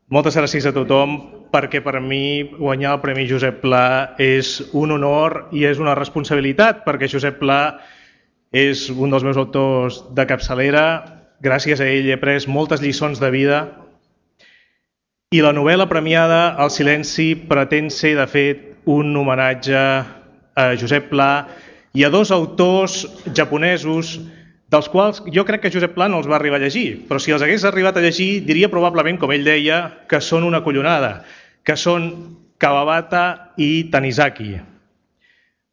Moltes gràcies a tothom, perquè per mi guanyar el Premi Josep Pla és un honor i és una responsabilitat, perquè Josep Pla és un dels meus autors de capçalera. Gràcies a ell he après moltes lliçons de vida i la novel·la premiada El silenci pretén ser, de fet, un homenatge a Josep Pla i a dos autors japonesos dels quals jo crec que Josep Pla no els va arribar a llegir, però si els hagués arribat a llegir diria probablement, com ell deia, que són una collonada, que són Kawabata i Tanizaki.